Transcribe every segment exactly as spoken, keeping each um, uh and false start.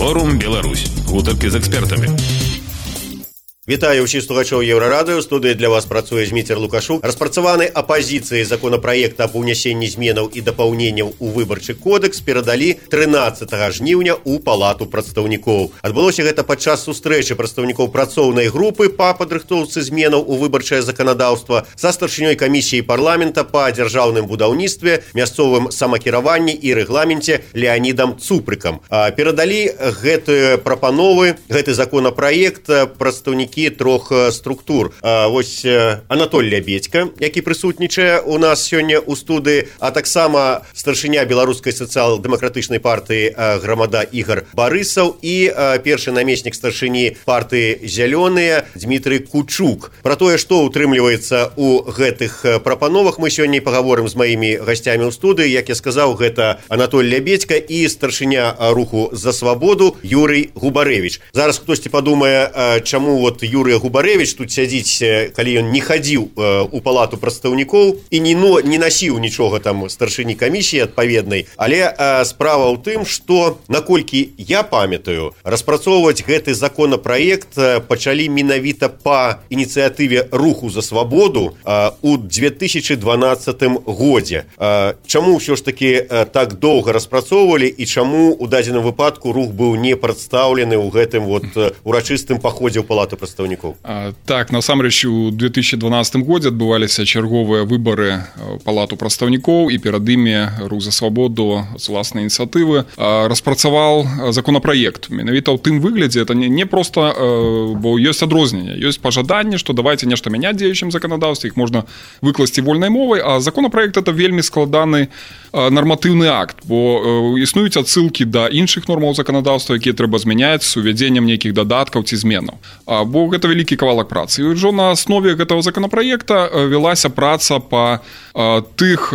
Форум Беларусь. Гутарки з экспертамі. Вітаю ўсіх слухачоў Еўрарадыё. Студыі для вас працуе Зміцер Лукашук. Распрацаваны апазіцыі законапраекта аб унесенні зменаў і дапаўненняў у выбарчы кодекс перадалі трынаццатага жніўня ў Палату прадстаўнікоў. Адбылося гэта падчас сустрэчы прадстаўнікоў працоўнай групы па падрыхтоўцы зменаў у выбарчае заканадаўства са старшынёй камісіі парламента па дзяржаўным будаўніцтве, мясцовым самакіраванні і рэгламенце Леанідам Цупрыкам. Перадалі гэтыя прапановы, гэты законапраект прадстаўнікі трох структур. А, вось Анатоль Лябедька, які прысутнічае у нас сёння ў студыі, а таксама старшыня беларускай сацыял-дэмакратычнай партыі грамада Ігар Барысаў і а, першы намеснік старшыні партыі Зялёныя Дмітрый Кучук. Пра тое, што ўтрымліваецца ў гэтых прапановах, мы сёння і пагаворым з маімі гасцямі ў студыі. Як я сказаў, гэта Анатоль Лябедька і старшыня руху «За свабоду» Юрый Губарэвіч. Зараз хтосьці падумае, чаму вот Юрый Губарэвіч тут сядзіць, калі ён не хадзіў у Палату прадстаўнікоў і не, но, не насіў нічога там старшыні камісіі адпаведнай. Але а, справа ў тым, што, наколькі я памятаю, распрацоўваць гэты законапраект пачалі менавіта па ініцыятыве руху «За свабоду» а, у две тысячи дванаццатым годзе. А, чаму ўсё ж такі а, так доўга распрацоўвалі і чаму у дадзеным выпадку рух быў не прадстаўлены ў гэтым вот урачыстым паходзе ў Палату прадстаўнікоў? А, так, насамрэч у две тысячи дванаццатым годзе адбываліся чарговыя выбары Палату прадстаўнікоў, і перад імі рух «За свабоду» з уласнай ініцыятывы распрацаваў законапраект. Менавіта ў тым выглядзе, это не, не проста, бо ёсць адрозненне, ёсць пажаданне, што давайте нешта мяняць дзеючым заканадаўстве, іх можна выкласці вольнай мовай, а законапраект это вельмі складаны нарматыўны акт, бо існуюць адсылкі да іншых нормаў заканадаўства, якія трэба змяняць з увядзеннем нейкіх дадаткаў ці зменаў. Бо гэта вялікі кавалак працы. І ўжо на аснове гэтага законапраекта вялася праца па тых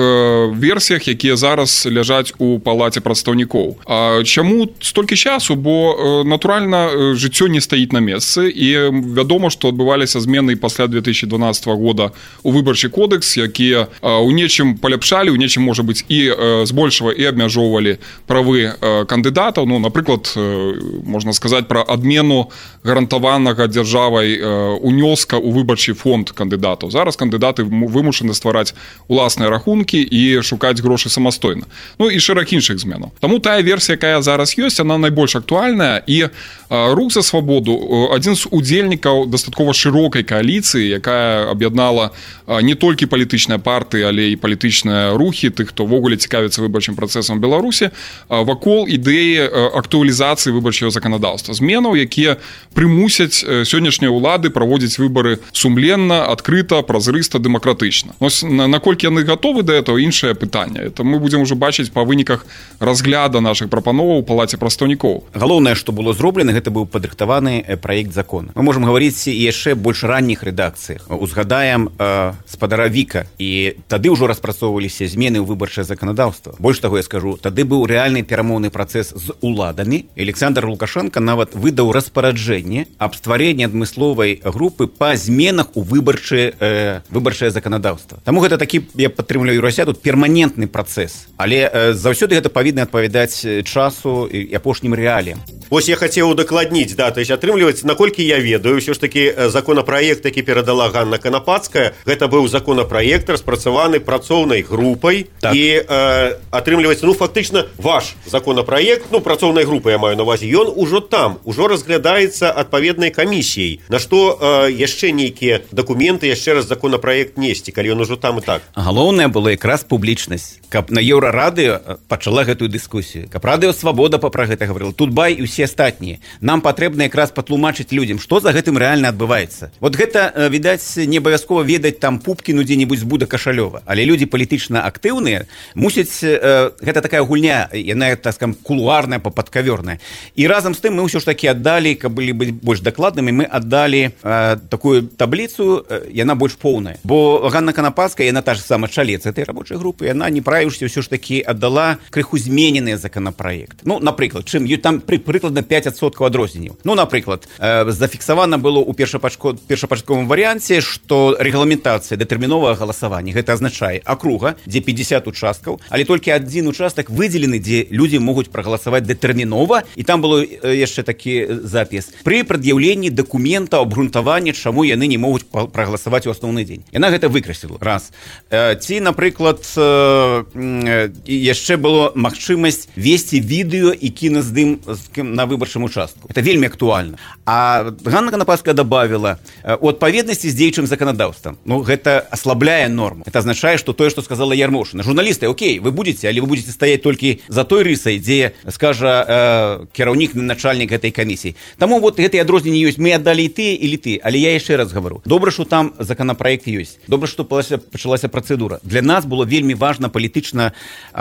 версіях, якія зараз ляжаць у Палаце прадстаўнікоў. Чаму столькі часу? Бо, натуральна, жыццё не стаіць на месцы, і вядома, што адбываліся змены пасля две тысячи дванаццатага года у выбарчы кодекс, якія ў нечым паляпшалі, у нечым, можа быць, і збольшава і абмяжоўвалі правы кандыдатаў. Ну, напрыклад, можна сказаць пра адмену гарантаванага дзяржавай унёска ў выбарчы фонд кандыдатаў. Зараз кандыдаты вымушаны ствараць уласныя рахункі і шукаць грошы самастойна. Ну і шэраг іншых зменаў. Таму тая версія, якая зараз ёсць, она найбольш актуальная, і рух «За свабоду» адзін з удзельнікаў дастаткова шырокай кааліцыі, якая аб'яднала не толькі палітычныя партыі, але і палітычныя рухі, тых, хто ввогуле цікавіцца выбарчым працэсам Беларусі, вакол ідэі актуалізацыі выбарчага заканадаўства. Зменаў, якія прымусяць сённяшнія ўлады праводзіць выбары сумленна, адкрыта, празрыста, дэмакратычна. Ось наколькі яны гатовы да этого, іншае пытанне. Это мы будзем ужо бачыць па выніках разгляда нашых прапановаў у Палаце прадстаўнікоў. Галоўнае, што было зроблена, гэта быў падрыхтаваны праект закона. Мы можам гаварыць і яшчэ больш ранніх рэдакцыях. Узгадаем э, спадара Віка, і тады ўжо распрацоўваліся змены ў выбарчае заканадаўства. Больш таго я скажу, тады быў рэальны перамоўны працэс з уладамі. Александр Лукашенко нават выдаў распараджэнне аб стварэнні адмысловай групы па зменах у выбарчае, э, выбарчае заканадаўства. Таму гэта такі, я падтрымліваю Юрася, тут перманентны працэс. Але э, заўсёды гэта павінна адпавядаць часу і апошнім рэаліям. Вось я хацеў удакладніць, да, то есть атрымліваецца, наколькі я ведаю, ўсё ж такі законапраект, які перадала Ганна Канапацкая, гэта быў законапраект, распрацаваны працоўнай групай, так. І э, атрымліваецца, ну, фактычна, ваш законапраект, ну, працоўнай групы, я маю на увазе, ён ужо там, ужо разглядаецца адпаведнай камісіяй, на што э, яшчэ нейкія дакументы, яшчэ раз законапраект несці, калі ён ужо там і так. Галоўнае было якраз публічнасць, каб на Еўрарадыё пачала гэтую дыскусію, каб Радыё Свабода пра гэта гаварыла, тут бай і ўсе астатнія. Нам патрэбна якраз патлумачыць людзям, што за гэтым рэальна адбываецца. Вот гэта, відаць, не абавязкова ведаць там Пупкіну дзе-небудзь з Буда Кашалёва, але людзі палітычна актыўныя мусяць, э, гэта такая гульня, яна, так скажем, кулуарная, падкаверная. І разам з тым мы ўсё ж такі аддалі, каб былі быць больш дакладнымі, мы аддалі э, такую табліцу, э, яна больш поўная. Бо Ганна Канапацкая, яна та ж сама чалец этой рабочай групы, яна, не правіўшыся, ўсё ж такі аддала крыху зменены законапраект. Ну, напрыклад, чым там прыклад прыкладна пяць адсоткаў адрозненняў. Ну, напрыклад, э, зафіксавана было ў першапачатковым варыянце, што рэгламентацыя датэрміновага галасавання гэта азначае акруга, дзе пятьдесят участкаў, але толькі адзін участак выдзелены, дзе людзі могуць прагаласаваць датэрмінова, і там было яшчэ такі запіс. Пры прад'яўленні дакумента абгрунтавання, чаму яны не могуць прагаласаваць у асноўны дзень. Яна гэта выкрасіла. Раз. Э, ці, напрыклад, э, э, яшчэ было магчымасць весці відэо і кіназдым на выбарчым участку. Это вельмі актуальна. А Ганна Канападская добавила, у адпаведнасці з дзеючым заканадаўствам. Ну, гэта аслабляе норму. Это означае, што тое, што сказала Ярмошына. Журналісты, окей, вы будете, але вы будете стаять толькі за той рысай, дзе, скажа, э, кіраўнік, начальнік гэтай камісіі. Таму вот гэтыя адрозненні ёсць. Мы аддалі і тыя, і літы. Але я яшчэ раз гавару. Добра, што там законапраект ёсць. Добра, што пачалася працэдура. Для нас было вельмі важна палітычна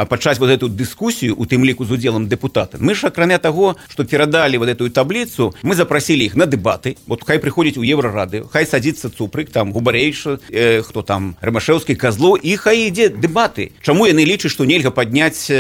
пачаць вот эту дыскусію, у тым ліку з удзелам дэпутата. Мы ж, акрамя таго, што перадалі вот эту таблицу, мы запросили іх на дэбаты. Вот хай прыходзіць у Еўрарады, хай садзіцца Цупрык, там Губарэйша, э, хто там Рымашэўскі, Казло, і хай ідзе дэбаты. Чаму яны лічаць, што нельга падняць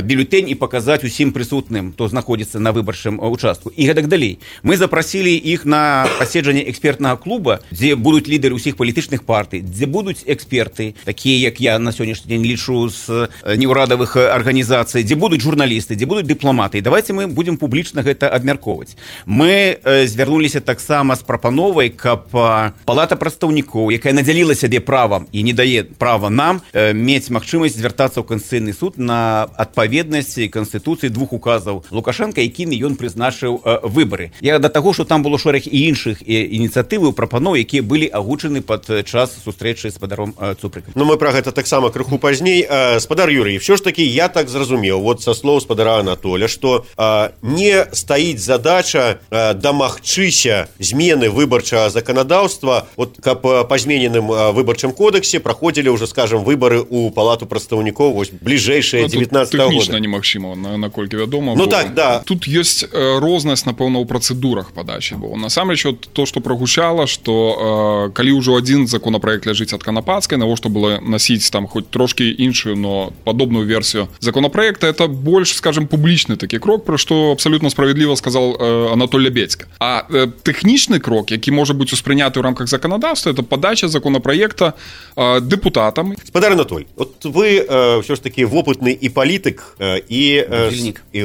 бюлетень і паказаць усім прысутным, хто знаходзіцца на выбарчым участку, і гэтак далей. Мы запросили іх на паседжанне экспертнага клуба, дзе будуць лідары ўсіх палітычных партый, дзе будуць эксперты, такія як я на сённяшні дзень лічу з неўрадавых арганізацый, дзе будуць журналісты, дзе будуць дыпламаты. І давайте мы будем публічна гэта абмяркоўваць. Мы э, звярнуліся таксама з прапановай, каб э, палата прадстаўнікоў, якая надзяліла сябе правам і не дае права нам э, мець магчымасць звяртацца ў Канстытуцыйны суд на адпаведнасць Канстытуцыі двух указаў Лукашенка, якімі ён прызначыў э, выбары. Я да таго, што там было шэраг і іншых э, ініцыятываў, прапаноў, якія былі агучаны пад час сустрэчы з спадаром э, Цупрыкам. Ну, мы пра гэта таксама крыху пазней. Э, спадар Юрый, все ж таки я так зразумеў, вот са слоў спадара Анатоля, што э, не стаіць задача э, дамагчыся змены выбарчага заканадаўства, вот каб па змененым э, выбарчым кодексе праходзілі ўжо, скажем, выбары ў палату прадстаўнікоў вось бліжэйшае дзевятнаццатага года. Тэхнічна немагчыма, на, наколькі вядома. Ну бо так, да. Тут ёсць э, рознасць, напэўна, ў працэдурах падачы, бо насамрэч то, што прагучала, што э, калі ўжо адзін законапраект ляжыць ад Канападскай, навошта было насіць там хоць трошкі іншую, но падобную версію законопроекта, это больш, скажем, публічны такі крок, пра што абсалютна справядліва сказал э, Анатоль Лябедзька. А э, тэхнічны крок, які можа быць успрыняты ў рамках заканадаўства, это падача законопроекта э, депутатам. Спадар Анатоль, вот вы э, все ж таки вопытны і палітык, э, і, э, будильник. і,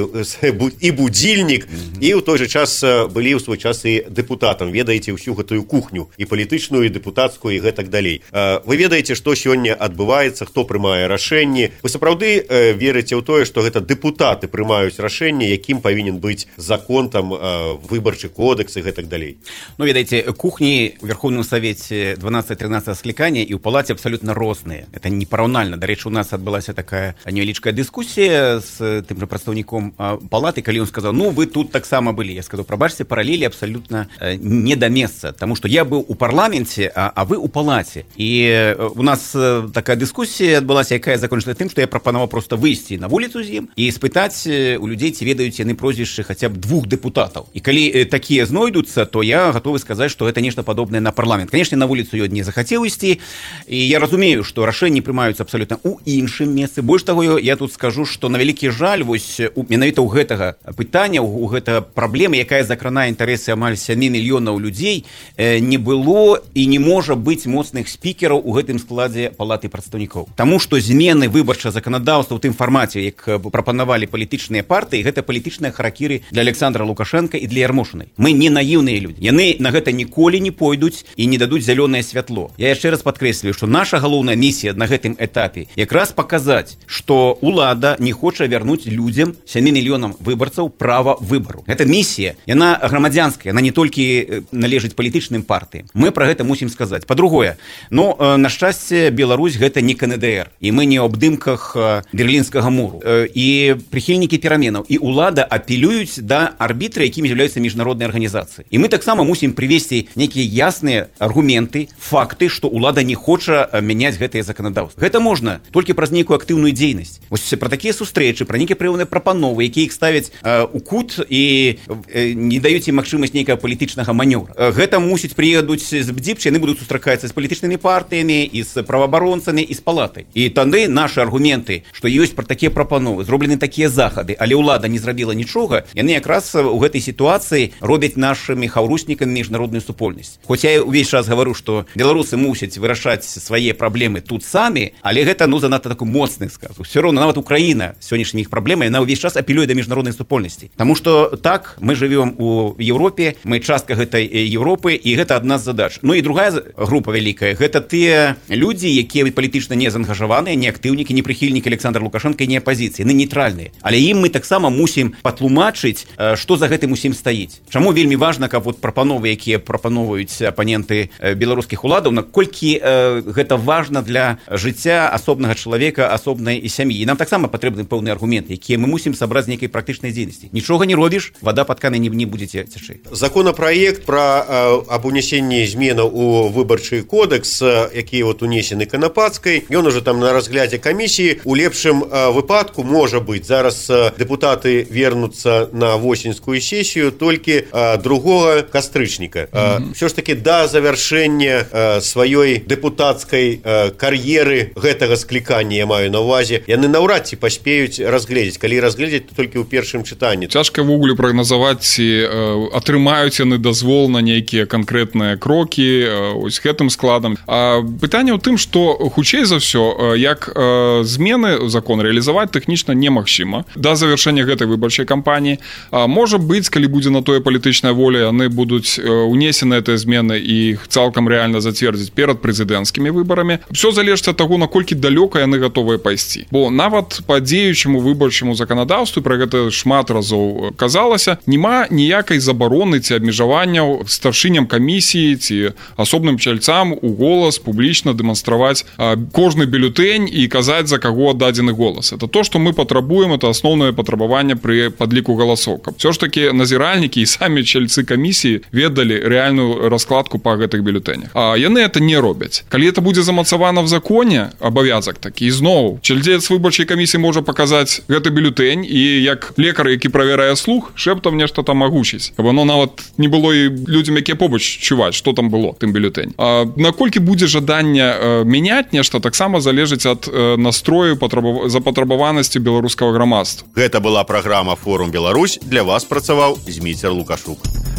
і будильник, mm-hmm. і ў той же час былі ў свой час і депутатам, ведаеце ўсю гэтую кухню, і палітычную, і депутатскую, і гэтак далей. Э, вы ведаеце, што сёння адбываецца, хто прымае рашэнні. Вы сапраўды э, верыце ў тое, што гэта депутаты прымаюць рашэнне, якім павінен быць закон, там, э, выбарчы кодекс і гэтак далей? Ну, ведаеце, кухні ў Верховным Савеце дванадццаць-трынаццаць склікання і ў палаце абсалютна розныя. Это непараўнальна. Дарэчы, у нас адбылася такая невялічкая дыскусія з тым жа прадстаўніком палаты, калі ён сказаў, ну, вы тут таксама былі. Я сказаў, прабачце, паралелі абсалютна не да месца, таму што я быў у парламенце, а, а вы ў палаце. І у нас такая дыскусія адбылася, якая закончылася тым, што я прапанаваў проста выйсці на вуліцу з ім і спытаць у людзей, ці ведаюць яны прозвішчы хаця б двух дэпутатаў. І калі такія знойдуцца, то я гатовы сказаць, што гэта нешта падобнае на парламент. Канешне, на вуліцу ён не захацеў ісці, і я разумею, што рашэнні прымаюцца абсалютна ў іншым месцы. Больш таго, я тут скажу, што на вялікі жаль, вось менавіта ў гэтага пытання, у гэта праблема, якая закранае інтарэсы амаль сямі мільёнаў людзей, не было і не можа быць моцных спікераў у гэтым складзе палаты прадстаўнікоў. Таму што змены выбарчага заканадаўства ў тым фармаце, як прапанавалі палітычныя партыі, гэта палітычныя харакіры для Александра Лукашенка і для Ярмошынай. Мы не наіўныя людзі. Яны на гэта ніколі не пойдуць і не дадуць зялёнае святло. Я яшчэ раз падкрэслюю, што наша галоўная місія на гэтым этапе якраз паказаць, што ўлада не хоча вярнуць людзям, сямі мільёнам выбарцаў, права выбару. Гэта місія, яна грамадзянская, яна не толькі належыць палітычным партыям. Мы пра гэта мусім сказаць. Па-другое, ну, на шчасце, Беларусь гэта не КНДР, і мы не ў абдымках Берлінскага муру. І прыхільнікі пераменаў, і ўлада апелююць да арбітра, якімі з'яўляюцца міжнародныя арганізацыі. І мы таксама мусім прывесці нейкія ясныя аргументы, факты, што ўлада не хоча мяняць гэтае заканадаўства. Гэта можна толькі праз нейкую актыўную дзейнасць. Вось пра такія сустрэчы, пра нейкія прыёмныя прапановы, якія іх ставяць э, у кут і э, не даюць ім магчымасць нейкага палітычнага манёвра. Э, гэта мусіць прыедуць з БДЗІПЧ, яны будуць сустракацца з палітычнымі партыямі і з праваабаронцамі і з палатай. І тады нашы аргументы, што ёсць пра такія прапановы, зроблены такія захады, але ўлада не зрабіла нічога, яны якраз у гэтай сітуацыі робяць нашымі хаўруснікамі міжнародную супольнасць. Хоць я ўвесь час гавару, што беларусы мусяць вырашаць свае праблемы тут самі, але гэта ну занадта такі моцны сказ. Усё роўна нават Украіна сённяшняя іх праблема, яна ўвесь час апелюе да міжнароднай супольнасці. Таму што так мы жывём у Еўропе, мы частка гэтай Еўропы, і гэта адна з задач. Ну і другая група вялікая, гэта тыя людзі, якія палітычна не заангажаваныя, не актыўнікі, не прыхільнікі Александра Лукашенка, не апазіцыі, яны нейтральныя. Але ім мы таксама мусім патлумачыць, што за гэтым усім стаіць. Чаму вельмі важна, каб вот прапановы, якія прапановваюць апаненты беларускіх уладаў, наколькі э, гэта важна для жыцця асобнага чалавека, асобнай і сям'і. І нам таксама патрэбны пэўны аргумент, якія мы мусім сабраць з нейкай практычнай дзейнасці. Нічога не робіш, вода пад канай не, не будзе цячы. Законапраект пра э, аб унесенні зменаў у выбарчы кодэкс, які вот унесены Канапацкай, ён уже там на разглядзе камісіі. У лепшым э, выпадку можа быць зараз э, депутаты вернуцца на восеньскую сесію толькі э, другога кастрычніка. Э, mm-hmm. Все ж таки да завяршэння э, сваёй депутатскай э, кар'еры гэтага склікання, я маю на ўвазе, яны наўрад ці паспеюць разгледзець, калі разгледзець то толькі ў першым чытанні. Цяжка ввогуле прагназаваць, ці э, атрымаюць яны дазвол на нейкія канкрэтныя крокі э, ось гэтым складам. А пытанне ў тым, што хутчэй за ўсё, э, як э, змены закон рэалізаваць тэхнічна немагчыма да завяршэння гэтай выбарчай кампаніі. А можа быць, калі будзе на тое палітычная воля, яны будуць э, унесены гэтыя змены і іх цалкам рэальна зацвердзіць перад прэзідэнцкімі выбарамі. Всё залежыць ад таго, наколькі далёка яны гатовыя пайсці. Бо нават па дзеючаму выбарчаму заканадаўству, пра гэта шмат разоў казалася, няма ніякай забароны ці абмежаванняў старшыням камісіі ці асобным чальцам у голас публічна дэманстраваць а, кожны бюлетэнь і казаць, за каго аддадзены голас. Это то, што мы патрабуем, это асноўнае патрабаванне пры падліку галасоў. Каб всё ж такі назіральнікі і самі чальцы камісіі ведалі рэальную раскладку па гэтых бюлетэнях. А яны это не робяць. Калі это будзе замацавана в законе, абавязак такі, зноў чальцец выбарчай камісіі можа паказаць гэты бюлетэнь і як лекар, які правярае слух, шэптам нешта там агучыць. Каб оно нават не было і людзям, якія побач чуваць, што там было тым бюлетэнь. А наколькі будзе жаданне э, мяняць нешта, таксама залежыць ад э, настрою патрабав... запатрабаванасці беларускага грамадства. Гэта была праграма «Форум Беларусь». Для вас працаваў Зміцер Лукашук.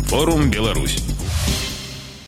Форум Беларусь.